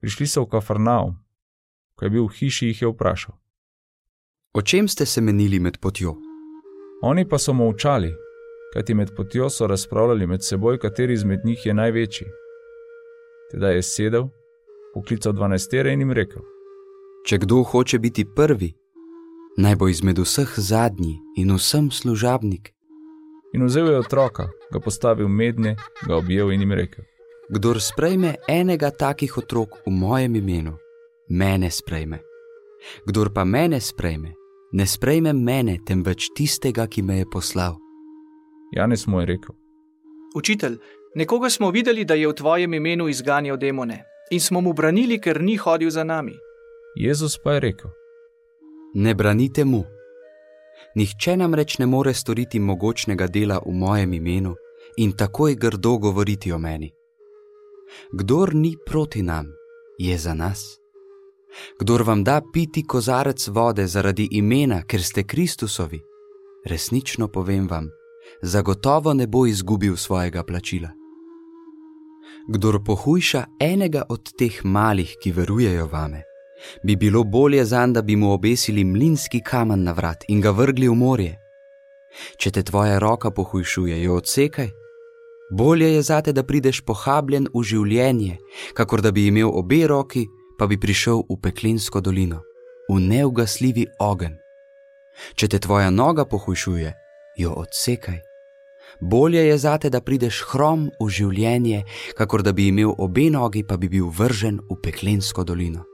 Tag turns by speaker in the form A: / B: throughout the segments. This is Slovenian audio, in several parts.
A: Prišli so v Kafarnaum. Ko je bil v hiši, jih je vprašal:
B: O čem ste se menili med potjo?
A: Oni pa so molčali, kajti med potjo so razpravljali med seboj, kateri izmed njih je največji. Tedaj je sedel, poklical 12 in jim rekel:
B: Če kdo hoče biti prvi, naj bo izmed vseh zadnji in vsem služabnik.
A: In vzel je otroka, ga postavil mednje, ga objel in jim rekel:
B: Kdor sprejme enega takih otrok v mojem imenu, mene sprejme. Kdor pa mene sprejme, ne sprejme mene, temveč tistega, ki me je poslal.
A: Janez mu je rekel:
C: Učitelj, nekoga smo videli, da je v tvojem imenu izganjal demone in smo mu branili, ker ni hodil za nami.
A: Jezus pa je rekel:
B: Ne branite mu. Nihče namreč ne more storiti mogočnega dela v mojem imenu in takoj grdo govoriti o meni. Kdor ni proti nam, je za nas. Kdor vam da piti kozarec vode zaradi imena, ker ste Kristusovi, resnično povem vam, zagotovo ne bo izgubil svojega plačila. Kdor pohujša enega od teh malih, ki verujejo vame, bi bilo bolje zanj, da bi mu obesili mlinski kamen na vrat in ga vrgli v morje. Če te tvoja roka pohujšuje, jo odsekaj. Bolje je zate, da prideš pohabljen v življenje, kakor da bi imel obe roki, pa bi prišel v peklensko dolino, v neugasljivi ogenj. Če te tvoja noga pohujšuje, jo odsekaj. Bolje je zate, da prideš hrom v življenje, kakor da bi imel obe nogi, pa bi bil vržen v peklensko dolino.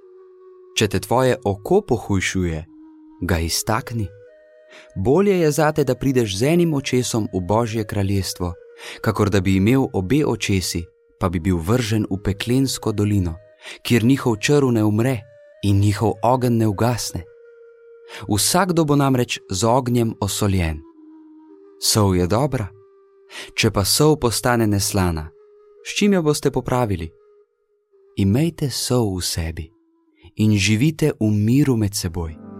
B: Če te tvoje oko pohujšuje, ga iztakni. Bolje je zate, da prideš z enim očesom v Božje kraljestvo, kakor da bi imel obe očesi, pa bi bil vržen v peklensko dolino, kjer njihov črv ne umre in njihov ogenj ne ugasne. Vsakdo bo namreč z ognjem osoljen. Sol je dobra, če pa sol postane neslana, s čim jo boste popravili? Imejte sol v sebi in živite v miru med seboj.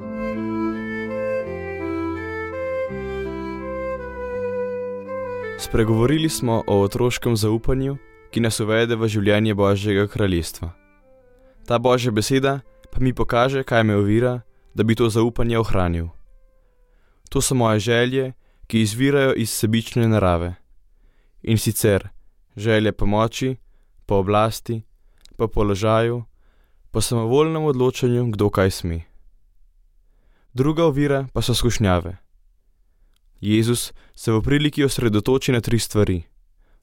D: Spregovorili smo o otroškem zaupanju, ki nas uvede v življenje Božjega kraljestva. Ta Božja beseda pa mi pokaže, kaj me ovira, da bi to zaupanje ohranil. To so moje želje, ki izvirajo iz sebične narave. In sicer želje po moči, po oblasti, po položaju, po samovoljnem odločanju, kdo kaj sme. Druga ovira pa so skušnjave. Jezus se v priliki osredotoči na 3 stvari: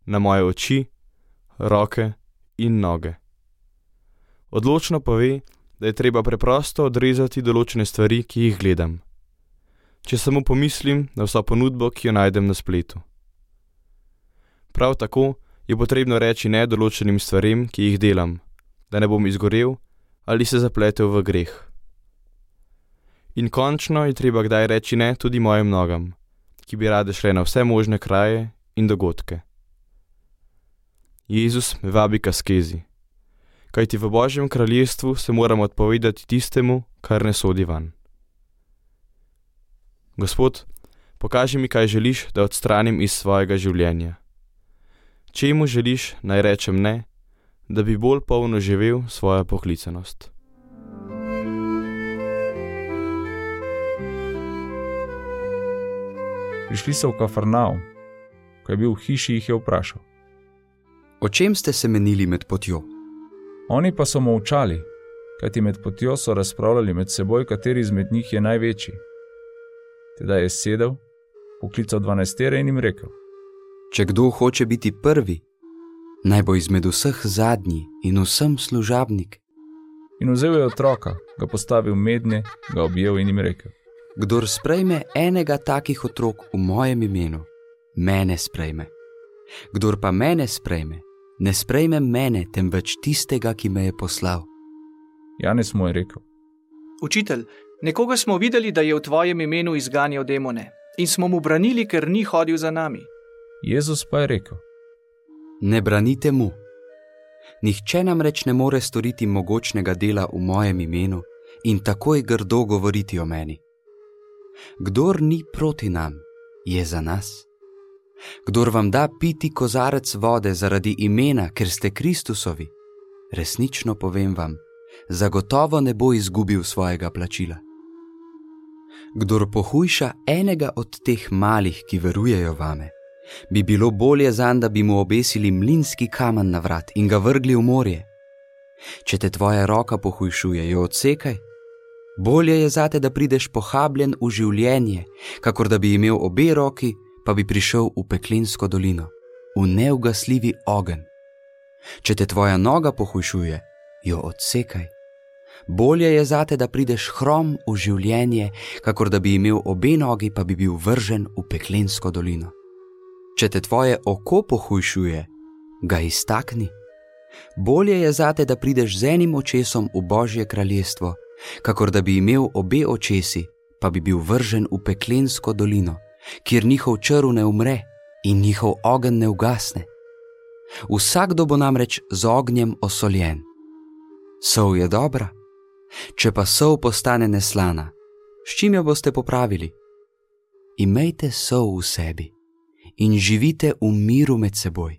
D: na moje oči, roke in noge. Odločno pove, da je treba preprosto odrezati določene stvari, ki jih gledam. Če samo pomislim na vso ponudbo, ki jo najdem na spletu. Prav tako je potrebno reči ne določenim stvarem, ki jih delam, da ne bom izgorel ali se zapletel v greh. In končno je treba kdaj reči ne tudi mojim nogam, ki bi rade šle na vse možne kraje in dogodke. Jezus me vabi k askezi, kajti v Božjem kraljestvu se moramo odpovedati tistemu, kar ne sodi van. Gospod, pokaži mi, kaj želiš, da odstranim iz svojega življenja. Čemu želiš, naj rečem ne, da bi bolj polno živel svojo poklicanost.
A: Prišli so v Kafarnaum. Ko je bil v hiši, jih je vprašal:
B: O čem ste se menili med potjo?
A: Oni pa so molčali, kajti med potjo so razpravljali med seboj, kateri izmed njih je največji. Tedaj je sedel, poklical 12 in jim rekel:
B: Če kdo hoče biti prvi, naj bo izmed vseh zadnji in vsem služabnik.
A: In vzel je otroka, ga postavil mednje, ga objel in jim rekel:
B: Kdor sprejme enega takih otrok v mojem imenu, mene sprejme. Kdor pa mene sprejme, ne sprejme mene, temveč tistega, ki me je poslal.
A: Janez mu je rekel:
C: Učitelj, nekoga smo videli, da je v tvojem imenu izganjal demone in smo mu branili, ker ni hodil za nami.
A: Jezus pa je rekel:
B: Ne branite mu. Nihče namreč ne more storiti mogočnega dela v mojem imenu in takoj grdo govoriti o meni. Kdor ni proti nam, je za nas. Kdor vam da piti kozarec vode zaradi imena, ker ste Kristusovi, resnično povem vam, zagotovo ne bo izgubil svojega plačila. Kdor pohujša enega od teh malih, ki verujejo vame, bi bilo bolje zanj, da bi mu obesili mlinski kamen na vrat in ga vrgli v morje. Če te tvoja roka pohujšuje, jo odsekaj. Bolje je zate, da prideš pohabljen v življenje, kakor da bi imel obe roki, pa bi prišel v peklensko dolino, v neugasljivi ogenj. Če te tvoja noga pohujšuje, jo odsekaj. Bolje je zate, da prideš hrom v življenje, kakor da bi imel obe nogi, pa bi bil vržen v peklensko dolino. Če te tvoje oko pohujšuje, ga iztakni. Bolje je zate, da prideš z enim očesom v Božje kraljestvo, kakor da bi imel obe očesi, pa bi bil vržen v peklensko dolino, kjer njihov črv ne umre in njihov ogenj ne ugasne. Vsakdo bo namreč z ognjem osoljen. Sol je dobra, če pa sol postane neslana, s čim jo boste popravili? Imejte sol v sebi in živite v miru med seboj.